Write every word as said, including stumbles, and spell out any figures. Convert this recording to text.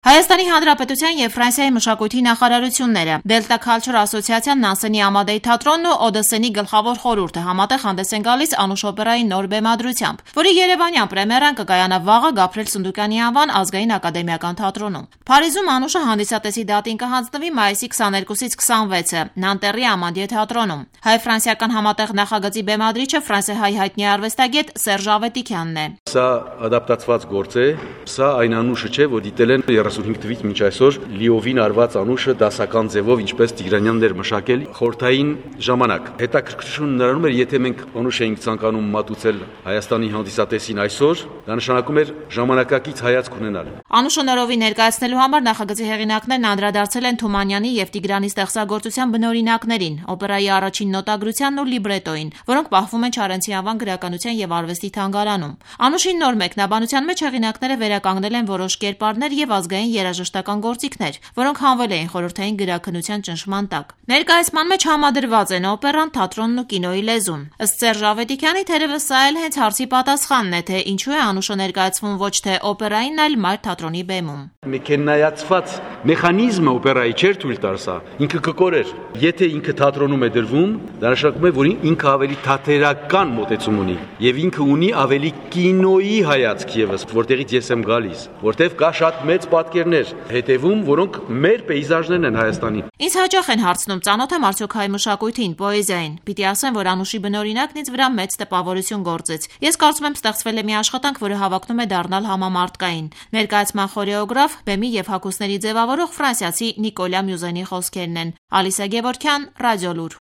Հայաստանի Հանրապետության և Ֆրանսիայի մշակույթի նախարարությունները, Delta Culture ասոցիացիան, Նանսենի Ամադեի թատրոնն ու Օդեսենի գլխավոր խորհուրդը համատեղ հանդես են գալիս Անուշ օպերայի նոր բեմադրությամբ, որի երևանյան պրեմիերան կկայանա վաղը Գաբրիել Սունդուկյանի անվան ազգային ակադեմիական թատրոնում։ Փարիզում Անուշը հանդիսատեսի դատին կհանձնվի մայիսի քսաներկուսից քսանվեցը Նանտերի Ամադիե թատրոնում։ Հայ-ֆրանսիական համատեղ նախագծի բեմադրիչը ֆրանսիահայ հայտնի արվեստագետ Սերժ Ավետիքյանն է։ Սա ադապտացված գործ է, սա այն Անուշը չէ, որ դիտել են երեսունհինգ թվականից մինչ այսօր լիովին արված Անուշը դասական ձևով, ինչպես Տիգրանյանն էր մշակել խորհրդային ժամանակ։ Հետաքրքրություն նրանում էր, եթե մենք Անուշ էինք ցանկանում մատուցել Հայաստանի հանդիսատեսին այսօր, դա նշանակում էր ժամանակակից հայացք ունենալ։ Անուշը նորովի ներկայացնելու համար նախագծի հեղինակներն անդրադարձել են Թումանյանի եւ Տիգրանի ստեղծագործության բնօրինակներին, օպերայի առաջին նոտագրությանն ու լիբրետոին, որոնք պահվում են Չարենցի անվան գրականության եւ արվեստի թանգարանում։ Անուշի նոր մեկնաբանության մեջ հեղինակները վերականգնել են որոշ կերպարներ եւ ազգային երաժշտական գործիքներ, որոնք հանվել էին խորհրդային գրաքննության ճնշման տակ։ Ներկայացման մեջ համադրված են օպերան, թատրոնն ու կինոյի լեզուն։ Ըստ Սերժ Ավետիքյանի, թերևս սա էլ հենց հարցի պատասխանն է, թե ինչու է Անուշը ներկայացվում ոչ թե օպերային, այլ մայր թատրոնի բեմում։ Մեքենայացված մեխանիզմը օպերայի չէր թույլ տար սա, ինքը կկորեր։ Եթե ինքը թատրոնում է դրվում, դա նշանակում է, որ ինքը ավելի թատերական մոտեցում ունի եւ ինքը ունի ավելի կինոյի հայացք եւս, որտեղից ես եմ գալիս, որտեղ կա շատ մեծ պատկերներ հետևում, որոնք մեր պեյզաժներն են Հայաստանի։ Ինձ հաճախ են հարցնում, ծանոթ եմ արդյոք հայ մշակույթին, պոեզիային։ Պիտի ասեմ, որ Անուշի բնօրինակն ինձ վրա մեծ տպավորություն գործեց։ Ես կարծում եմ, ստեղծվել է մի աշխատանք, որը հավակնում է դառնալ համամարտկային։ Ներկայացման խորեոգրաֆ, բեմի եւ հագուստների ձևավորող ֆրանսիացի Նիկոլա Մյուզենի խոսքերն են։ Ալիսա Գևորգյան, Ռադիոլուր։